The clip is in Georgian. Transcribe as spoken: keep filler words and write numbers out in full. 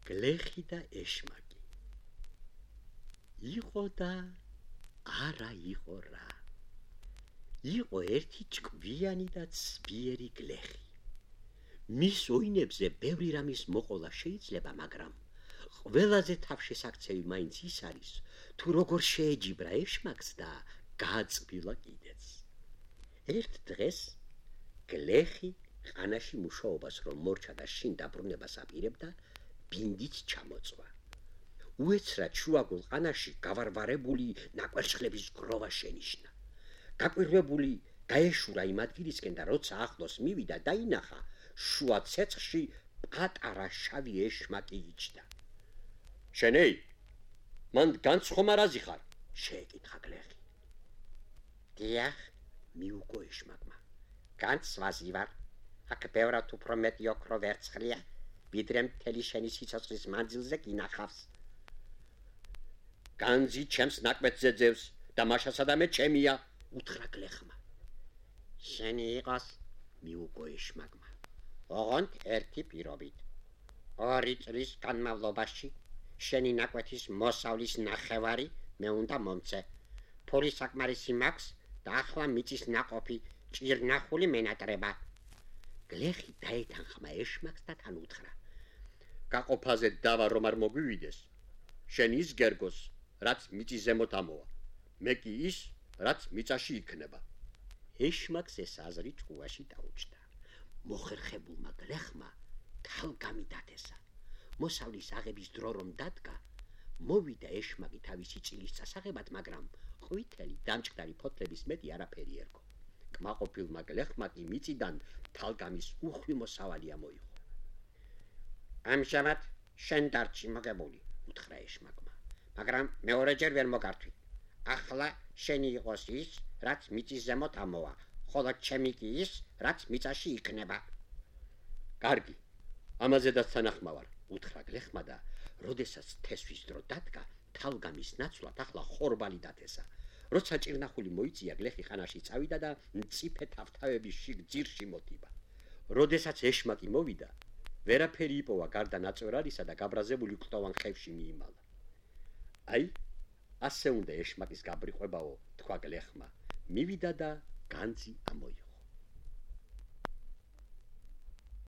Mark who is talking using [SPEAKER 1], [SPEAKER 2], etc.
[SPEAKER 1] გლეხი და ეშმაკი. იყო და არა იყო რა. იყო ერთი ჭკვიანი და ცბიერი გლეხი. მის ოინებზე ბევრი რამის მოყოლა შეიძლება, მაგრამ ყველაზე თავშესაქცევი მაინც ის არის, თუ როგორ შეეჯიბრა ეშმაკს და გააწბილა კიდეც. ერთ დღეს გლეხი ყანაში მუშაობას რომ მორჩა და შინ დაბრუნებას აპირებდა, ბინდით ჩამოწვა. უეცრად შუაგულ ყანაში გავარვარებული ნაკვერცხლების გროვა შენიშნა. გაკვირვებული გაეშურა იმ ადგილისკენ და როცა ახლოს მივიდა, დაინახა შუა ცეცხლში პატარა შავი ეშმაკი იჯდა. შენეი, მან განცხომა რაზი ხარ? შეეკითხა გლეხი. დიახ, მიუგო ეშმაკმა. განცვაზი ვარ. აქ ბევრად უფრო მეტი ოქრო ვერცხლია, ვიდრე მთელი შენი სიცოცხლის მანძილზე გინახავს. განძი ჩემს ნაკვეთზე ძევს და მაშასადამე ჩემია, უთხრა გლეხმა. შენი იყოს, მიუგო ეშმაკმა. ოღონდ ერთი პირობით. ორი წლის განმავლობაში შენი ნაკვეთის მოსავლის ნახევარი მე უნდა მომცე. ფული საკმარისი მაქვს და ახლა მიწის ნაყოფი ჭირნახული მენატრება. გლეხი დაეთანხმა ეშმაკს და თან უთხრა. გაყოფაზე დავა რომ არ მოგვივიდეს, შენ ის გერგოს, რაც მიწის ზემოთ ამოვა, მე კი ის, რაც მიწაში იქნება. ეშმაკს ეს აზრი ჭკუაში დაუჭდა. მოხერხებულმა გლეხმა თალგამი დათესა. მოსავლის აღების დრო რომ დადგა, მოვიდა ეშმაკი თავისი წილის წასაღებად, მაგრამ ყვითელი დამჭკდარი ფოთლების მეტი არაფერი ერგო. კმაყოფილმა გლეხმა კი მიწიდან თალგამის უხვი მოსავალი ამოიღო. ამჟამად შენ დარჩი მოგებული, უთხრა ეშმაკმა, მაგრამ მეორეჯერ ვერ მოგართვი. ახლა შენი იყოს ის, რაც მიწის ზემოთ ამოვა, ხოლო ჩემი კი ის, რაც მიწაში იქნება. კარგი, ამაზედაც თანახმავარ, უთხრა გლეხმა და როდესაც თესვის დრო დადგა, თალგამის ნაცვლად ახლა ხორბალი დათესა. როცა ჭირნახული მოიწია, გლეხი ხანაში წავიდა და მწიფე თავთავების შიგ ძირში მოდიბა. როდესაც ეშმაკი მოვიდა, ვერაფერი იპოვა გარდა ნაწვერარისა და გაბრაზებული კლდოვან ხევში მიიმალა. აი, ასე უნდა ეშმაკის გაბრიყვებაო, თქვა გლეხმა. მივიდა და განძი ამოიღო.